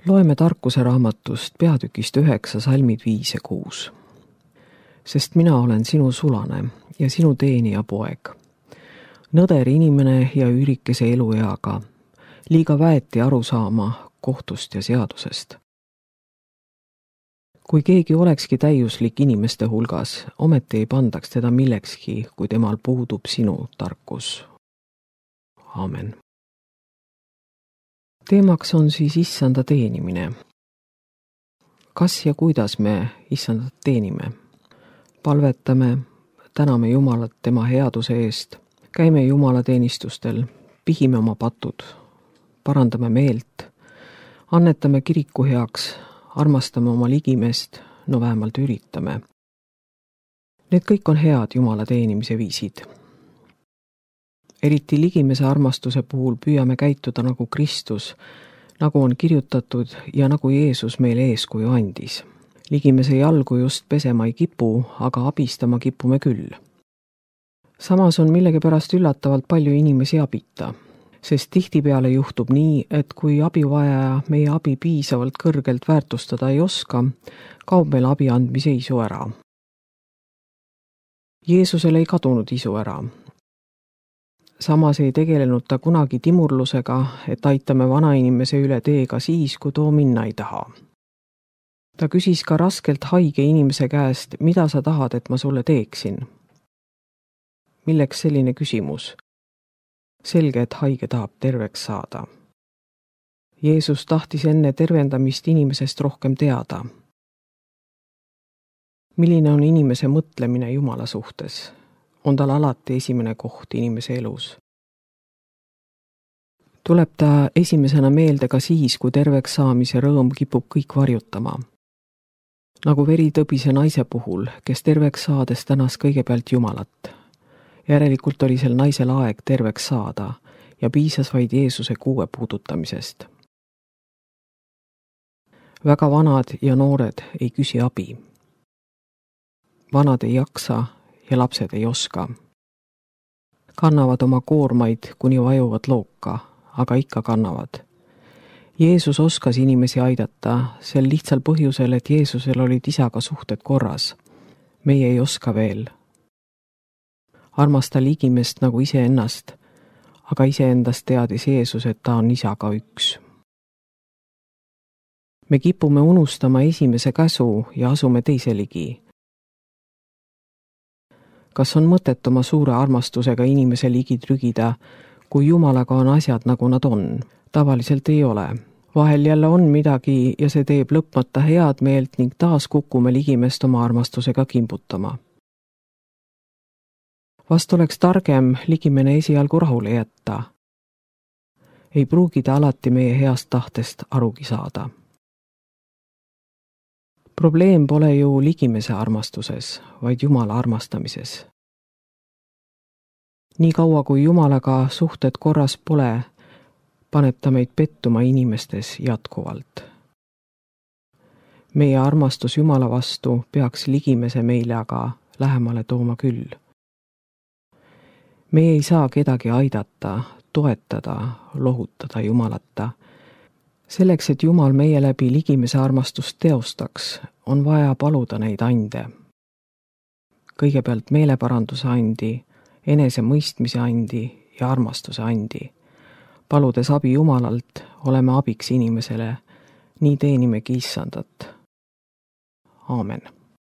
Loeme tarkuse raamatust peatükist 9 salmid 5 ja 6. Sest mina olen sinu sulane ja sinu teenija poeg. Nõder inimene ja üürikese elueaga, liiga väeti aru saama kohtust ja seadusest. Kui keegi olekski täiuslik inimeste hulgas, ometi ei pandaks teda millekski, kui temal puudub sinu tarkus. Aamen. Teemaks on siis issanda teenimine. Kas ja kuidas me issandat teenime? Palvetame, täname Jumalat tema headuse eest, käime Jumala teenistustel, pihime oma patud, parandame meelt, annetame kiriku heaks, armastame oma ligimest, no vähemalt üritame. Need kõik on head Jumala teenimise viisid. Eriti ligimese armastuse puhul püüame käituda nagu Kristus, nagu on kirjutatud ja nagu Jeesus meile eeskuju andis. Ligimese jalgu just pesema ei kipu, aga abistama kipume küll. Samas on millegipärast üllatavalt palju inimesi abita, sest tihtipeale juhtub nii, et kui abivajaja meie abi piisavalt kõrgelt väärtustada ei oska, kaob meil abi andmise isu ära. Jeesusel ei kadunud isu ära. Samas ei tegelenud ta kunagi timurlusega, et aitame vanainimese üle teega siis, kui too minna ei taha. Ta küsis ka raskelt haige inimese käest, mida sa tahad, et ma sulle teeksin. Milleks selline küsimus? Selge, et haige tahab terveks saada. Jeesus tahtis enne tervendamist inimesest rohkem teada. Milline on inimese mõtlemine Jumala suhtes? On tal alati esimene koht inimese elus. Tuleb ta esimesena meelde ka siis, kui terveks saamise rõõm kipub kõik varjutama. Nagu veritõbise naise puhul, kes terveks saades tänas kõigepealt Jumalat. Järelikult oli sel naisel aeg terveks saada ja piisas vaid Jeesuse kuue puudutamisest. Väga vanad ja noored ei küsi abi. Vanad ei jaksa ja lapsed ei oska. Kannavad oma koormaid, kuni vajuvad looka, aga ikka kannavad. Jeesus oskas inimesi aidata sel lihtsal põhjusel, et Jeesusel olid isaga suhted korras. Meie ei oska veel. Armasta ligimest nagu iseennast, aga iseendast teadis Jeesus, et ta on isaga üks. Me kipume unustama esimese käsu ja asume teise ligi. Kas on mõtet oma suure armastusega inimese ligi trügida, kui Jumalaga on asjad nagu nad on? Tavaliselt ei ole. Vahel jälle on midagi ja see teeb lõpmata head meelt ning taas kukume ligimest oma armastusega kimbutama. Vast oleks targem ligimene esialgu rahule jätta. Ei pruugi ta alati meie heast tahtest arugi saada. Probleem pole ju ligimese armastuses, vaid Jumala armastamises. Nii kaua kui Jumalaga suhted korras pole, paneb ta meid pettuma inimestes jätkuvalt. Meie armastus Jumala vastu peaks ligimese meile aga lähemale tooma küll. Me ei saa kedagi aidata, toetada, lohutada Jumalata. Selleks, et Jumal meie läbi ligimese armastust teostaks, on vaja paluda neid ande. Kõigepealt meeleparanduse andi, enesemõistmise andi ja armastuse andi. Paludes abi Jumalalt, oleme abiks inimesele, nii teenimegi issandat. Aamen.